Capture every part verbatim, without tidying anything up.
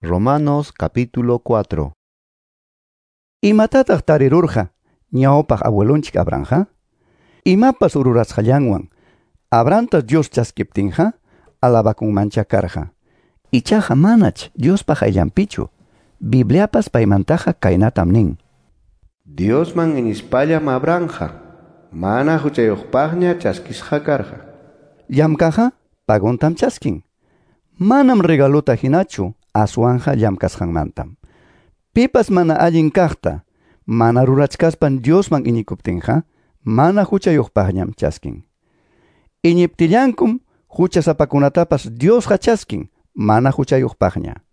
Romanos capítulo cuatro. Imatataq tarirurqa ñawpaq abuelonchik Abrahamqa? Imapas rurasqallanwan Abrahamta Dios chaskiptinqa alabakunmancha karqa. Ichaqa manach Diospa qayllanpichu. Bibliapas paymantaqa kaynatam nin. Diosman iñispallam Abrahamqa mana huchayuqpaqña chaskisqa karqa. Llamkaqqa paguntam chaskin. Manam regaluta hinachu aswanja llamkasqanmantam. Pipas mana allin kaqta mana rurachkaspan Diosman iñikuptinqa mana huchayuqpaqñam chaskin. Iñiptillankum huchasapakunatapas Diosqa chaskin mana huchayuqpaqña.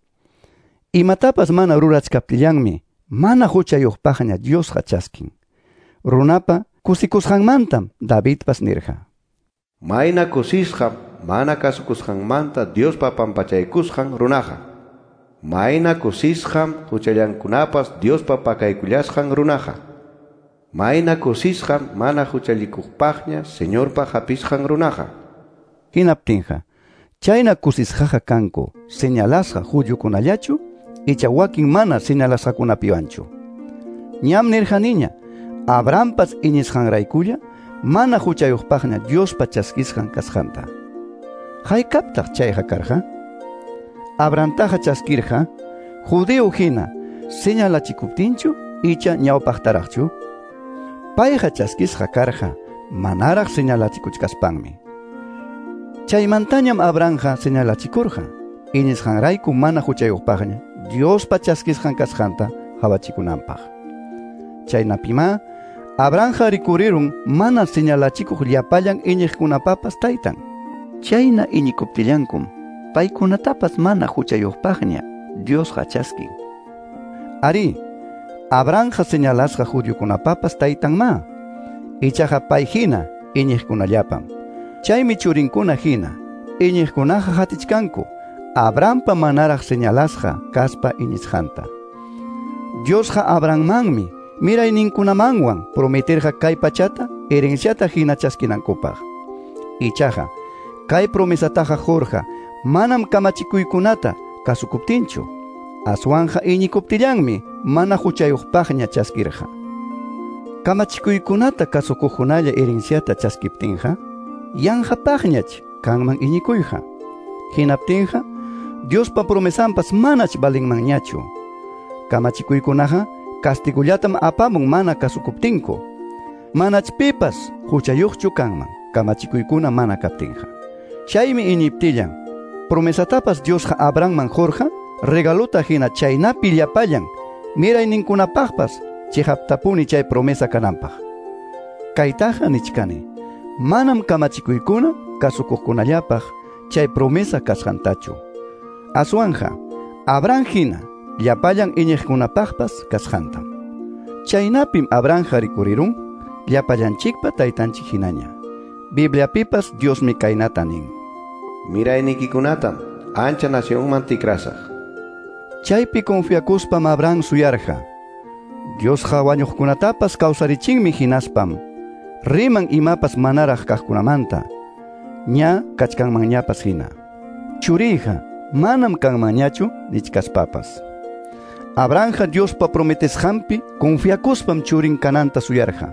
Imatapas mana rurachkaptillanmi mana huchayuqpaqña Diosqa chaskin. Runapa kusikusqanmantam Davidpas nirqa. Mayna kusisqam mana kasukusqanmanta Diospa pampachaykusqan runaqa. Mayna kusisqam huchallankunapas Diospa pakaykullasqan runaqa. Mayna kusisqam mana huchallikuqpaqña Señorpa hapisqan runaqa. Hinaptinqa, chayna kusisqaqa kanku señalasqa judiokunallachu icha wakin mana señalasqakunapiwanchu. Ñam nirqaniña, Abrahampas iñisqanraykulla mana huchayuqpaqña Diospa chaskisqan kasqanta. Haykaptaq chayqa karqa? Abrahamtaqa chaskirqa judío hina señalachikuptinchu icha ñawpaqtaraqchu? Payqa chaskisqa karqa manaraq señalachikuchkaspanmi. Chaymantañam Abrahamqa señalachikurqa iñisqanrayku mana huchayuqpaqña Diospa chaskisqan kasqanta qawachikunanpaq. Chaynapimá Abrahamqa rikurirun mana señalachikuq llapallan iñiqkunapapas taytan. Chayna iñikuptillankum paykunatapas mana huchayuqpaqña Diosqa chaskin. Ari, Abrahamqa señalasqa judiokunapapas taytanmá. Ichaqa pay hina iñiqkunallapam. Chaymi churinkuna hina iñiqkunaqa hatichkanku Abrahampa manaraq señalasqa kaspa iñisqanta. Diosqa Abrahammanmi mirayninkunamanwan prometerqa kay pachata herenciata hina chaskinankupaq. Ichaqa kay promesataqa qurqa manam kamachikuykunata kasukuptinchu. Aswanja iñikuptillanmi mana huchayuqpaqña chaskirqa. Kamachikuykunata kasukuqkunalla herenciata chaskiptinqa yanqapaqñach kanman iñikuyqa. Hinaptinqa Diospa promesanpas manach valinmanñachu. Kamachikuykunaqa castigullatam apamun mana kasukuptinku. Manach pipas huchayuqchu kanman kamachikuykuna mana kaptinqa. Chaymi iñiptillan promesatapas Diosqa Abrahamman qurqa regaluta hina chaynapi llapallan mirayninkunapaqpas chiqaptapuni chay promesa kananpaq. Kaytaqa nichkani, manam kamachikuykuna kasukuqkunallapaq chay promesa kasqantachu. Aswanja Abraham hina llapallan iñiqkunapaqpas kasqantam. Chaynapim Abrahamqa rikurirun llapallanchikpa taytanchik hinaña. Bibliapipas Diosmi kaynata nin. Miraynikikunatam ancha nacionman tikrasaq. Chaypi confiakuspam Abraham suyarqa. Diosqa wañuqkunatapas kawsarichinmi hinaspam riman imapas manaraq kaqkunamanta ña kachkanmanñapas hina. Churiyqa manam kanmanñachu nichkaspapas. Abrahamqa Diospa prometesqanpi confiakuspam churin kananta suyarqa.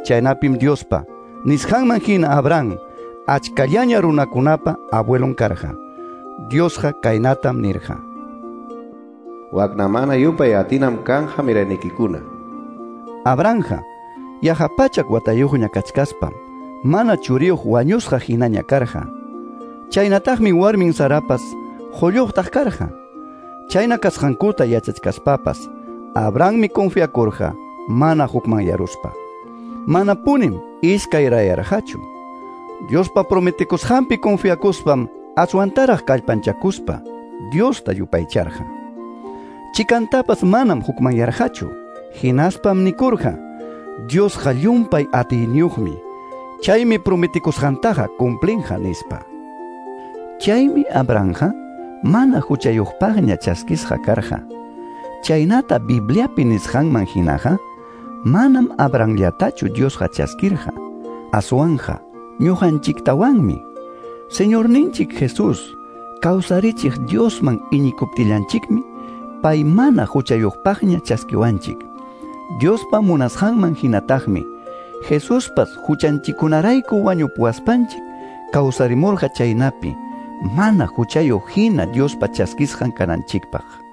Chaynapim Diospa nisqanman hina Abraham achkallaña runakunapa abuelon karqa. Diosqa kaynatam nirqa. Waknamana yupay atinam kanja miraynikikuna. Abrahamqa yaqa pachak watayuqña kachkaspam mana churiyuq wañusqa hinaña karqa. Chaynataqmi warmin Sarapas qulluqtaq karqa. Chayna kasqankuta yachachkaspapas Abrahammi confiakurqa mana hukmanyaruspa. Manapunim iskayrayarqachu. Diospa prometikusqanpi confiakuspam aswantaraq kallpanchakuspa Diosta yupaycharqa. Chikantapas manam hukmanyarqachu. Hinaspam nikurqa, Diosqa llumpay atiyniyuqmi. Chaymi prometikusqantaqa cumplinqa nispa. Chaymi Abrahamqa mana huchayuqpaqña chaskisqa karqa. Chaynata Bibliapi nisqanman hinaqa manam Abrahamllatachu Diosqa chaskirqa. Aswanja ñuqanchiktawanmi. Señorninchik Jesús Kawsarichiq Diosman iñikuptillanchikmi pay mana huchayuqpaqña chaskiwanchik. Diospa munasqanman hinataqmi Jesuspas huchanchikkunarayku wañupuwaspanchik kawsarimurqa chaynapi mana huchayuq hina Diospa chaskisqan kananchikpaq.